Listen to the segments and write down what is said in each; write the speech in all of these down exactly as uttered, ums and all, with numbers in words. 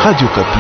Radio Okapi.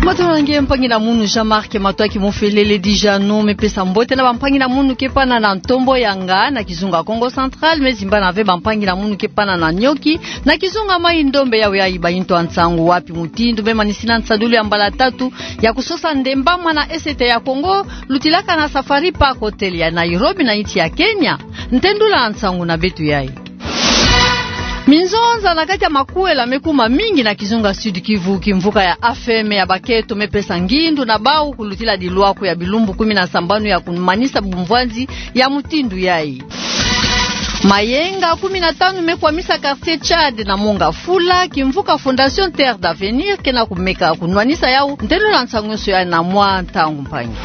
Matondo na nge mpangi na munu, Jean-Marc Matoaki Mofelele Dijano me pesa mbote na bampangi na munu ke pana na ntombo ya nga na kizunga Kongo Central, me zimbana ve bampangi na munu ke pana na nioki na kizunga Mai-Ndombe. Yawe yayi bayinto ya nsangu. Wapi mutindu me manisina nsadulu ya mbala tatu ya kusosa ndembama na Est ya Kongo, lutilaka na Safari Park Hotel ya Nairobi na insi ya Kenya? Ntendula ya nsangu na beto yayi. Minzonza na kati ya makuela me kuma mingi na kizunga Sud-Kivu, kimvuka ya AFEM ya baketo me pesa ngindu na bau kulutila dilwako ya bilumbu kumi na sambanu ya kumanisa bumvwanzi ya mutindu yayi. Mayenga kumi na tanu me kwamisa quartier Tchad na monga Fula, kimvuka Fondation Terre d'Avenir ke na kumeka kunwanisa yau. Ntendula ya nsangu nyonso yayi na mwa ntangu mpangi.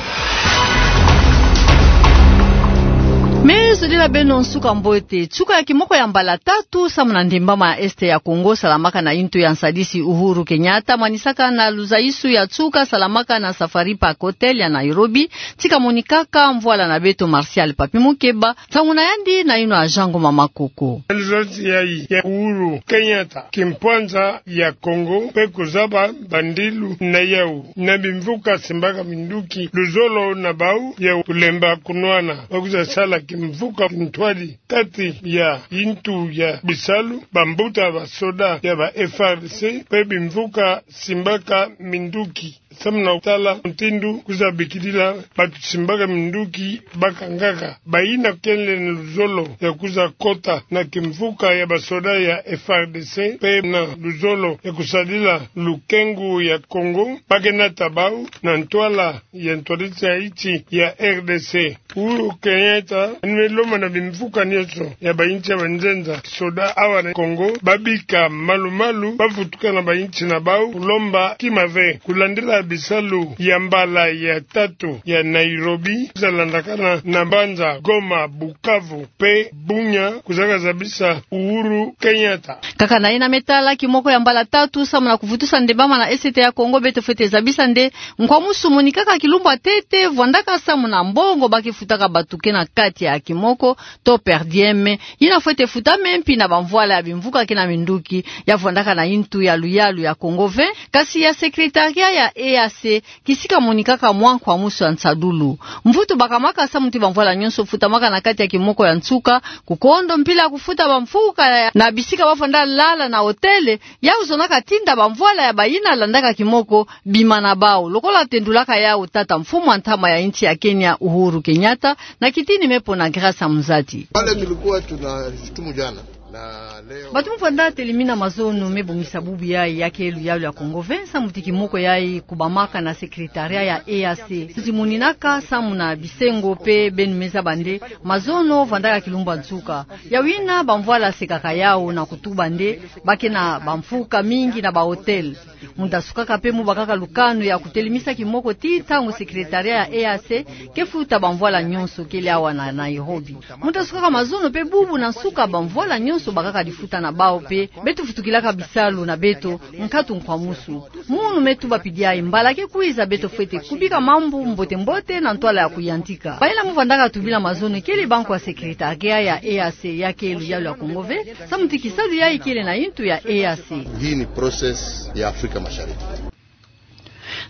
Me zodila beno nsuka mbote. Nsuka ya kimoko ya mbala tatu samu na ndembama ya Est ya Kongo salamaka na intu ya nsadisi Uhuru Kenyatta, manisaka na luzaisu ya nsuka salamaka na Safari Park Hotel ya Nairobi, tika monikaka mvwala na beto Martial Papi Mukeba, nsangu na yandi na ino ya Jean Ngoma Makoko. Luzonzi yayi ya Uhuru Kenyatta, kimpwanza ya Kongo, pe kuzaba bandilu na yau na bimvuka simbaka minduki luzolo na bau ya kulemba kunwana, ba kwiza sala kimvuka kintwadi kati ya intu ya bisalu, bambuta basoda ya ba F A R D C, pe bimvuka simbaka minduki. Samu na kutala mutindu kwiza bikidila batu simbaka minduki bakangaka. Bayina kele na luzolo ya kwiza kota na kimvuka ya basoda ya F A R D C, pe na luzolo ya kusadila lukengu ya Kongo, ba ke nata bau na ntwala ya ntwadisi ya insi ya R D C. Uhuru Kenyatta anu me lomba na bimvuka nyonso ya bainsi ya banzenza kisoda awa na Kongo, babika malu-malu, bavutuka na bainsi na bau kulomba kima ve, kulandila bisalu ya mbala ya tatu ya Nairobi, kwiza landakana na mbanza Goma, Bukavu pe Bunia, kwizaka zabisa Uhuru Kenyatta. Kaka na yina me tala kimoko ya mbala tatu samu na kuvutusa ndembama na Est ya Kongo, beto fwete zabisa nde nkwamusu monikaka kilumbu ya ntete vwandaka samu na mbongo ba ke futaka batu ke na kati ya kimoko to per diem, yina fwete futame mpi na bamvwala ya bimvuka ke na minduki ya vwandaka na intu ya luyalu ya Kongo vingt, kasi ya secrétariat ya E A C, kisika monikaka mwa nkwamusu ya nsadulu. Mvutu bakamaka samu ti bamvwala nyonso futamaka na kati ya kimoko ya nsuka, kukondo mpila kufuta bamvuka ya, na bisika ba vwanda lala na hôtel, yau zonaka tinda bamvwala ya bayina landaka kimoko bima na bau, lokola tendulaka yau tata mfumu ya ntama ya insi ya Kenya, Uhuru Kenyatta, na kitini me pona Grace Amzati. Pale tulikuwa tunashutumu jana. Na leo. Batu mu vwanda telimina mazono me bongisa bubu yayi ya ke luyalu ya Kongo vingt, samu ti kimoko yayi kubamaka na secrétariat ya E A C. Tuzimuninaka samu na bisengo pe beno me zaba nde mazono vwandaka kilumbu ya nsuka. Yawina bamvwala sekaka yau na kutuba nde ba ke na bamvuka mingi na ba hôtel. Mu ta sukaka pe mu bakaka lukanu ya kutelimisa kimoko ti ntangu secrétariat ya E A C ke futa bamvwala nyonso kele awa na Nairobi. Mu ta sukaka mazono pe bubu na nsuka bamvwala nyonso bakaka difuta na bau pe beto vutukilaka bisalu na beto nkatu nkwamusu. Munu me tuba pidi yayi, mbala ke kwiza beto fwete kubika mambu mbote-mbote na ntwala ya kuyantika. Bayina mu vwandaka tubila mazono kele banko ya secrétariat ya E A C ya ke luyalu ya Kongo vingt, samu ti kisalu yayi kele na intu ya E A C. Hii ni process ya Afrika Mashariki.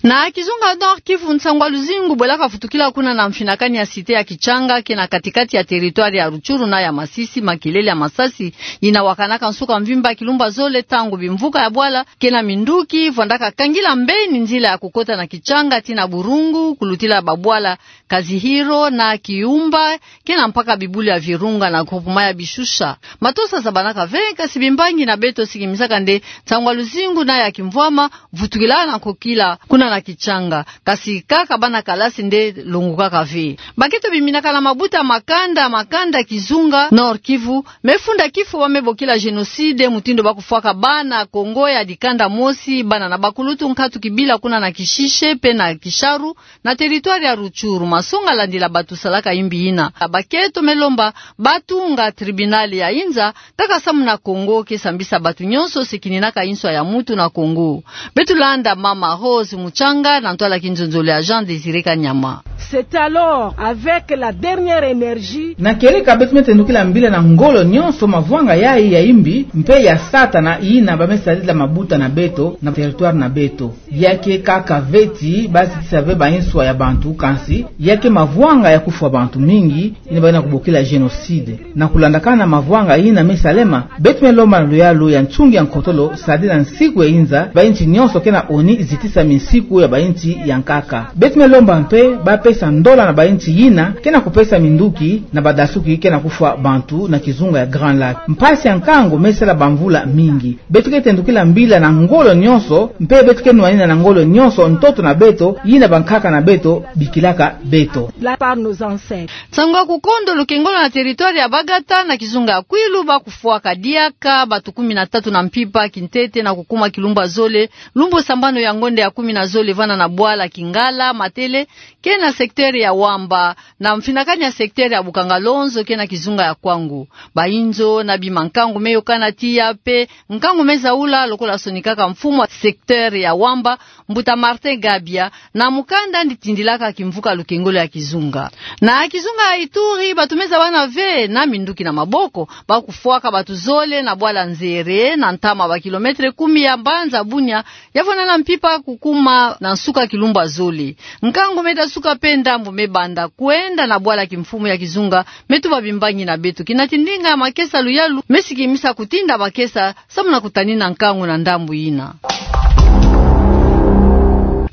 Na kizunga Nord-Kivu, nsangwa luzingu bwelaka vutukila kuna na mfinakani ya cité ya Kitshanga, ke na kati-kati ya territoire ya Rutshuru na ya Masisi, makelele ya masasi yina wakanaka nsuka mvimba kilumbu ya zole ntangu bimvuka ya bwala ke na minduki vwandaka kangila mbeni nzila ya kukota na Kitshanga ti na Burungu, kulutila babwala Kazihiro na Kiumba, ke na mpaka bibulu ya Virunga na groupement ya Bishusha. Matosa zabanaka ve, kasi bimbangi na beto sikimisaka nde nsangwa luzingu na ya kimvwama vutukila na nkokila kuna na Kitshanga. Kasi kaka bana kalasi nde longukaka ve. Baketo biminaka na mabuta makanda makanda kizunga Nord-Kivu me funda kifo ba me bokila génocide, mutindu ba kufwaka bana Kongo ya dikanda mosi, bana na bakulutu, nkatu kibila kuna na Kishishe pe na Kisharu, na territoire ya Rutshuru. Masonga landila batu salaka imbi yina. Baketo me lomba ba tunga tribunal ya inza kaka samu na Kongo ke sambisa batu nyonso se kininaka inswa ya mutu na Kongo. Beto landa mama Rose Mucha Katanga, na ntwala kinzonzolo ya Jean Désiré Kanyama. C'est alors avec la dernière énergie. Na kieleka beto me tendukila mbila na ngolo nyonso mavwanga yai ya imbi mpe ya Satana yina ba me sadila mabuta na beto na territoire na beto. Ya ke kaka veti ba zitisa ve ba inswa ya bantu, kansi ya ke mavwanga ya kufwa bantu mingi, yina ba yina kubokila génocide. Na kulandakana mavwanga yina me salema, beto me lomba na luyalu ya nsungi ya nkotolo, sadila nsiku ya inza, ba insi nyonso ke na oni zitisa minsiku ya ba insi ya nkaka. Beto me lomba mpe ba pesa ndola na ba insi yina ke na kupesa minduki na badasuki ke na kufwa bantu na kizunga ya Grand Lac. Mpasi ya nkangu me sala bamvula mingi. Beto ke tendukila mbila na ngolo nyonso, mpe beto ke nwanina na ngolo nyonso ntoto na beto, yina bankaka na beto bikilaka beto. Là par nos ancêtres. Nsangu ya kukondo lukengolo na territoire ya Bagata na kizunga ya Kwilu, ba kufwaka diaka batu kumi na tatu na mpimpa kintete na kukuma kilumbu ya zole, lumbu sambanu ya ngonde ya kumi na zole vana na bwala Kingala Matele, ke na secteur ya Wamba, na mfinakani ya secteur ya Bukangalonzo, ke na kizunga ya Kwangu. Ba inzo na bima nkangu me yokana tiya mpe nkangu me zaula, lokola sonikaka mfumu wa secteur ya Wamba, mbuta Martin Gabia, na mukanda yandi tindilaka kimvuka lukengolo ya kizunga. Na kizunga ya Ituri, batu me zabana ve na minduki na maboko, ba kufwaka batu zole na bwala Nzere, na ntama ba kilomètre kumi ya mbanza Bunia, ya vwanda na mpimpa kukuma na nsuka kilumbu ya zole. Nkangu me dasuka mpe ndambu me banda kwenda na bwala kimfumu ya kizunga me tuba bimbangi na beto. Kina ti ndinga ya makesa luyalu me sikimisa kutinda makesa samu na kutanina nkangu na ndambu yina.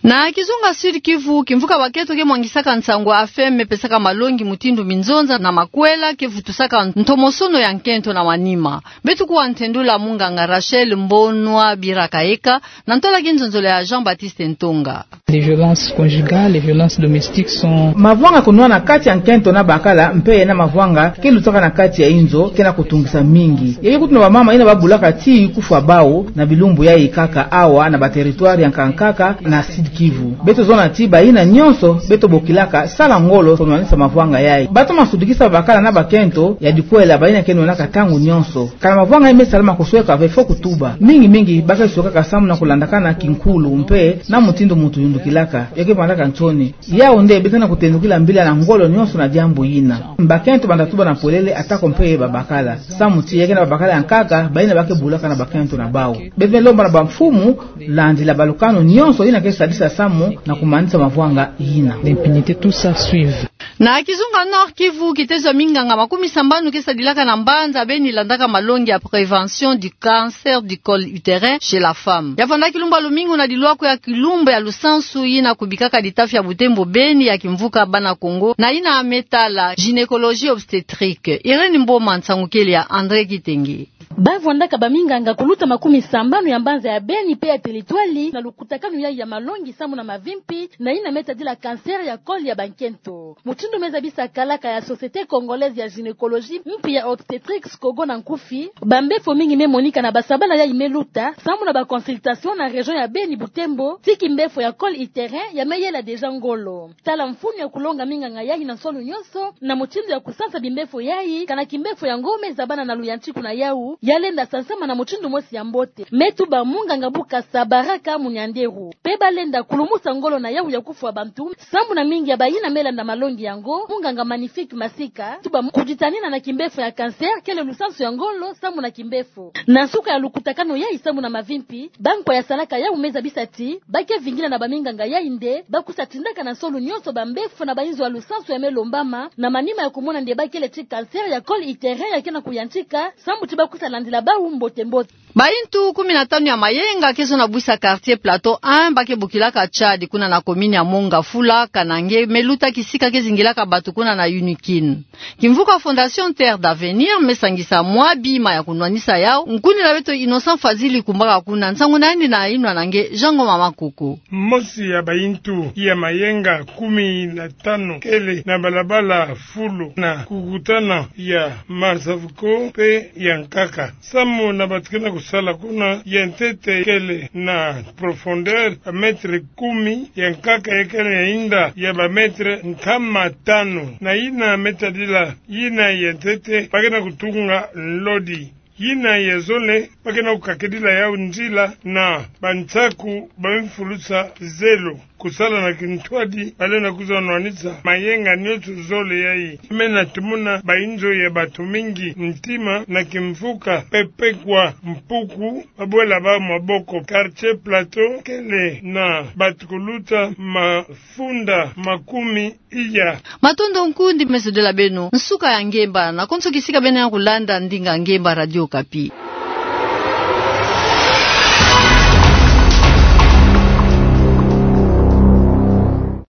Na kizunga Sud-Kivu, kimvuka bakento ke mwangisaka nsangu ya AFEM me pesaka malongi mutindu minzonza na makwela ke vutusaka ntomosono ya nkento na manima. Beto kuwa ntendula munganga Rachel Mbonwa Birakaeka, na ntwala kinzonzolo ya Jean-Baptiste Ntonga. Les violences conjugales, les violences domestiques sont... Mavwanga kunwana kati ya nkento na bakala, mpe na mavwanga ke lutaka na kati ya inzo, ke na kutungisa mingi. Yayi kutu na bamama yina ba bulaka tii kufwa bawu, na bilumbu yayi kaka awa, na ba territoire ya nkaka nkaka, na Sud-Kivu. Beto zona ti bayina nyonso beto bokilaka sala ngolo kunwanisa mavwanga yayi. Ba toma sudikisa bakala na bakento ya dikwela bayina ke nwanaka ntangu nyonso. Kana mavwanga yayi me salama, kusweka ve fo kutuba. Mingi mingi ba ke swekaka samu na kulandakana kinkulu mpe na mutindu muntu yundukilaka. Yo ke vandaka nsoni. Yawu nde beto na kutendukila mbila na ngolo nyonso na diambu yina. Bakento banda tuba na polele, atako mpe babakala. Samu ti ya ke na babakala ya nkaka bayina ba ke bulaka na bakento na bawu. Beto me lomba na bamfumu, landila balukanu nyonso yina ke sadisa samu na kumanisa mavwanga yina. L'impunité, tout ça suive. Na kizunga Nord-Kivu, kitezo ya minganga makumi sambanu ke sadilaka na mbanza Beni landaka malongi ya prévention du cancer du col utérin chez la femme. Ya vwanda kilumbu ya lumingu na dilwako ya kilumbu ya lusansu yina kubikaka litafi ya Butembo Beni ya kimvuka bana Kongo, na yina me tala gynécologie obstétrique. Irène Mboma, nsangu kele ya André Kitenge. Ba vwandaka baminganga kuluta makumi sambanu ya mbanza ya Beni mpe ya telitwali na lukutakanu yayi ya malongi samu na mavimpi na yina me tadila cancer ya col ya bankento. Mutindu me zabisa kalaka ya Société Congolaise ya Gynécologie mpi ya Obstétrique, SCOGO na nkufi, bambefo mingi me monika na basabala yayi me luta samu na ba consultation na région ya Beni, Butembo, ti kimbefo ya col utérin ya me yela déjà ngolo. Tala mfunu ya kulonga minganga yayi na nsolo nyonso na mutindu ya kusansa bimbefo yayi, kana kimbefo yango me zabana na luyantiku na yawu, ya lenda sansama na mutindu mosi ya mbote. Me tuba munganga Bukasa Baraka Munyanderu. Mpe ba lenda kulumusa ngolo na yawu ya kufwa bantu, samu na mingi ya bayina me landa malongi yango, munganga Magnifique Masika, tuba kuditanina na kimbefo ya cancer kele lusansu ya ngolo samu na kimbefo. Na nsuka ya lukutakanu yayi samu na mavimpi, bankwa ya salaka yawu me zabisa ti ba ke vingila na baminganga yayi nde ba kwiza tindaka na nsolo nyonso bambefo na bainzo ya lusansu ya me lombama, na manima ya kumona nde ba kele ti cancer ya col utérin ya ke na kuyantika, samu ti ba kwiza landila bawu mbote mbote. Bayintu kumi na tanu ya mayenga ke zona bwisa quartier Plateau un ba ke bokilaka Tchad, kuna na commune ya Mont Ngafula, kana nge me luta kisika ke zingilaka batu kuna na Unikin. Kimvuka Fondation Terre d'Avenir me sangisa mwa bima ya kunwanisa yawu. Nkundila beto Innocent Fazili kumbaka kuna, nsangu na yandi na yinwa na nge Jean Ngoma Makoko. Mosi ya bayintu ya mayenga kumi na tanu kele na balabala fulu na kukutana ya Marsavco mpe ya nkaka. Samu na batu ke na kusala kuna, ya ntete kele na profondeur ba mètre kumi, ya nkaka ya kele na inda ya ba mètre nkama tanu. Na yina me tadila yina ya ntete ba ke na kutunga nlodi. Yina ya zole Ba ke na kukakidila yau nzila na bansaku ba mfulusa zelo. Kusala na kintwadi, balendi kwiza nwanisa mayenga nioso zole yayi. Mena tumona bayinzo ya batu mingi, Ntima na Kimfuka, Pepekwa, Mpuku, babwela bau maboko. Quartier Plateau kele na batu kuluta mafunda makumi iya. Matondo nkundi, meso dela beno. Nsuka ya ngemba, na konso kisika beno ya kulanda ndinga ngemba Radio Okapi.